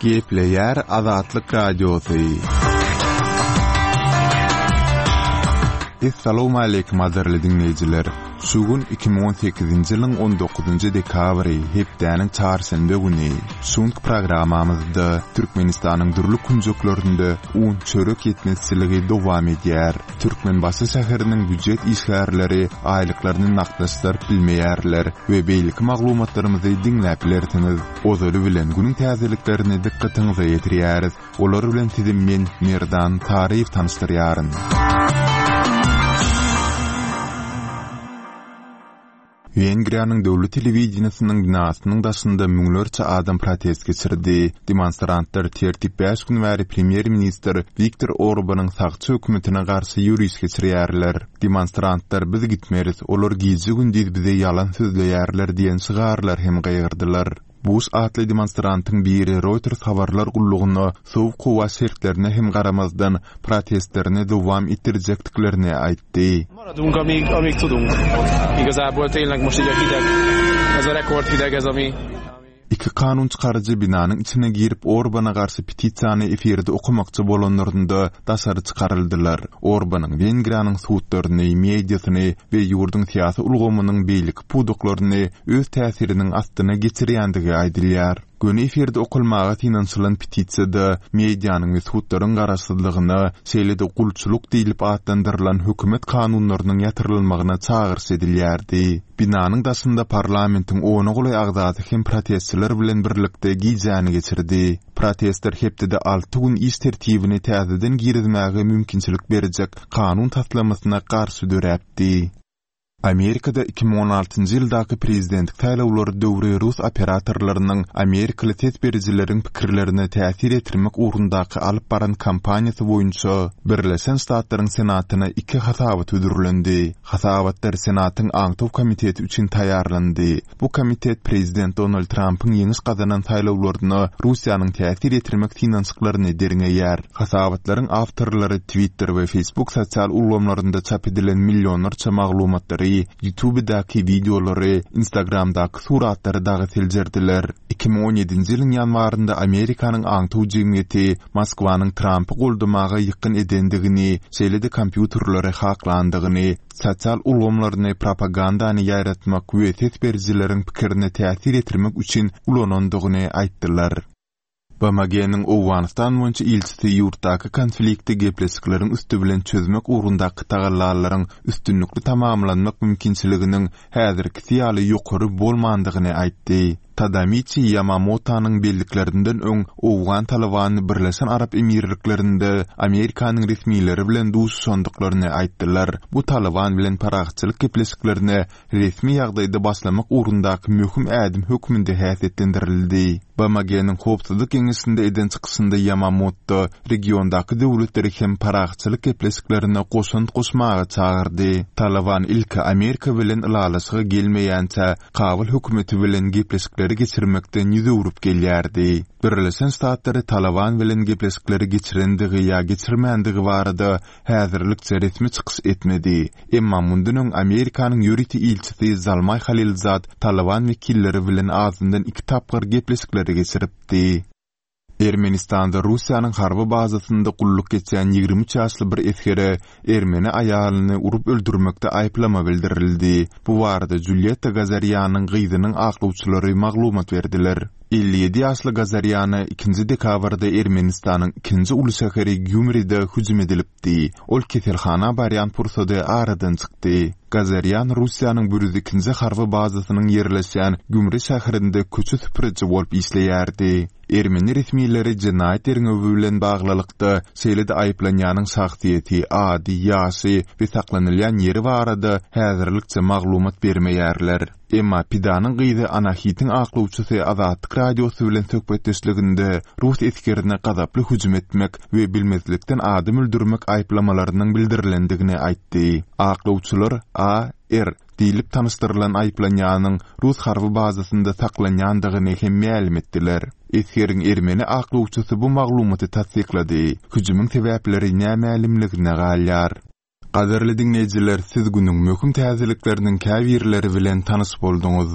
Gepleýär Azatlyk Radiosy. Essalawmaleýkim gadyrly diňleýjiler! Şu gün 2018-nji ýylyň 19-njy dekabry, hepdäniň çarşenbe güni. Şu günki programmamyzda Türkmenistanyň dürli künjeklerinde un, çörek ýetmezçiligi dowam edýär. Türkmenbaşy şäheriniň býujet işgärleri aýlyklaryny nagtlaşdyryp bilmeýärler we beýleki maglumatlarymyzy diňläp bilersiňiz. Ozaly bilen günüň täzeliklerini dykgatyňyza ýetirýäris. Olar bilen sizi men, Merdan Taryýew tanyşdyrýaryn. Wengriýanyň döwlet telewideniýesiniň binasynyň daşynda müňlerçe adam protest geçirdi. Demonstrantlar tertip bäş gün bäri premýer-ministr Wiktor Orbanyň sagçy hökümetine garşy ýöriş geçirýärler. Demonstrantlar Biz gitmeris, olar gije-gündiz bize ýalan sözleýärler diýen şygarlar hem gygyrdylar. Buş atly demonstrantyň biri Reuters habarlar gullugyna sowuk howa şertlerine hem garamazdan, protestlerini dowam etdirjekdiklerini aýtdy. Maradunk amíg, amíg tudunk. Igazából tényleg most így a hideg, ez a rekord hideg ez ami Iki kanun çykaryjy binanyň içine girip Orbana garşy petisiýany efirde okamakçy bolanlarynda daşary çykaryldylar. Orbanyň Wengriýanyň sudlaryny, mediasyny we ýurduň syýasy ulgamynyň beýleki pudaklaryny öz täsiriniň astyna geçirýändigi aýdylýar. Göni efirde okalmaga synanyşylan petisiýada medianyň we sudlaryň garaşsyzlygyna, şeýle-de gulçulyk diýlip atlandyrylan hökümet kanunlarynyň ýatyrylmagyna çagyryş edilýärdi. Binanyň daşynda parlamentiň ona golaý agzasy hem protestçiler bilen birlikde gijäni geçirdi. Protestler hepdede alty gün iş tertibini täzeden girizmäge mümkinçilik berjek kanun taslamasyna garşy döräpdi. Amerikada 2016-njy ýyldaky prezidentlik saýlawlary döwri rus operatorlarynyň amerikaly ses berijileriň pikirlerine täsir ýetirmek ugrundaky alyp baran kampaniýasy boýunça Birleşen Ştatlaryň Senatyna iki hasabat hödürlendi. Hasabatlar Senatyň Aňtaw komiteti üçin taýýarlandy. Bu komitet prezident Donald Trampyň ýeňiş gazanan saýlawlaryna Russiýanyň täsir ýetirmek synanyşyklaryny derňeýär. Hasabatlaryň awtorlary Twitter we Facebook sosial ulgamlarynda çap edilen millionlarça maglumatlary, YouTubedaky wideolary, Instagramdaky suratlary dagy seljerdiler. 2017-nji ýylyň ýanwarynda Amerikanyň aňtaw jemgyýeti Moskwanyň Trampy goldamaga ýykgyn edendigini, şeýle-de kompýuterleri haklandygyny, sosial ulgamlaryny propagandany ýaýratmak we ses berijileriň pikirine täsir ýetirmek üçin ulanandygyny aýtdylar. BMG-niň Owganystan boýunça ilçisi ýurtdaky konflikti gepleşikleriň üsti bilen çözmek ugrundaky tagallalaryň üstünlikli tamamlanmak mümkinçiliginiň häzirkisi ýaly ýokary bolmandygyny aýtdy. Tadamiçi Ýamamotanyň belliklerinden öň owgan Talybany Birleşen Arap Emirliklerinde Amerikanyň resmileri bilen duşuşandyklaryny aýtdylar. Bu Talyban bilen parahatçylyk gepleşiklerine resmi ýagdaýda başlamak ugrundaky möhüm ädim hökmünde häsiýetlendirildi. BMG-niň Howpsuzlyk Geňeşinde eden çykyşynda Ýamamoto regiondaky döwletleri hem parahatçylyk gepleşiklerine goşant goşmaga çagyrdy. Talyban ilki Amerika bilen ylalaşyga gelmeýänçä Kabul hökümeti bilen gepleşikleri geçirmekden ýüz öwrüp gelýärdi. Birleşen Ştatlary Talyban bilen gepleşikleri geçirendigi ýa geçirmändigi barada häzirlikçe resmi çykyş etmedi. Emma mundan öň Amerikanyň ýörite ilçisi Zalmaý Halilzad Talyban wekilleri bilen azyndan iki tapgyr gepleşikleri geçiripdi. Ermenistanda Russiýanyň harby bazasynda gulluk geçýän 23 ýaşly bir esgere ermeni aýalyny urup öldürmekde aýyplama bildirildi. Bu barada Julýetta Gazarýanyň gyzynyň aklawçylary maglumat berdiler. 57 ýaşly Gazarýana ikinji dekabrda Ermenistanyň ikinji uly şäheri Gýumride hüjüm edilipdi. Ol keselhana barýan pursady aradan çykdy. Gazarýan Russiýanyň bir ýüz ikinji harby bazasynyň ýerleşýän Gümri şäherinde köçe süpüriji bolup işleýärdi. Ermeni resmileri jenaýat derňewi bilen baglylykda, şeýle-de aýyplanýanyň şahsyýeti, ady, ýaşy we saklanylýan ýeri barada häzirlikçe maglumat bermeýärler. Emma pidanyň gyzy Anahitiň aklawçysy Azatlyk Radiosy bilen söhbetdeşliginde rus esgerine gazaply hüjüm etmek we bilmezlikden adam öldürmek aýyplamalarynyň bildirilendigini aýtdy. Aklawçylar AR. Diýlip tanyşdyrylan aýyplanýanyň rus harby bazasynda saklanýandygyny hem mälim etdiler. Esgeriň ermeni aklawçysy bu maglumaty tassyklady. Hüjümiň sebäpleri nämälimligine galýar. Gadyrly diňleýjiler, siz günüň möhüm täzelikleriniň käbirleri bilen tanyş bolduňyz.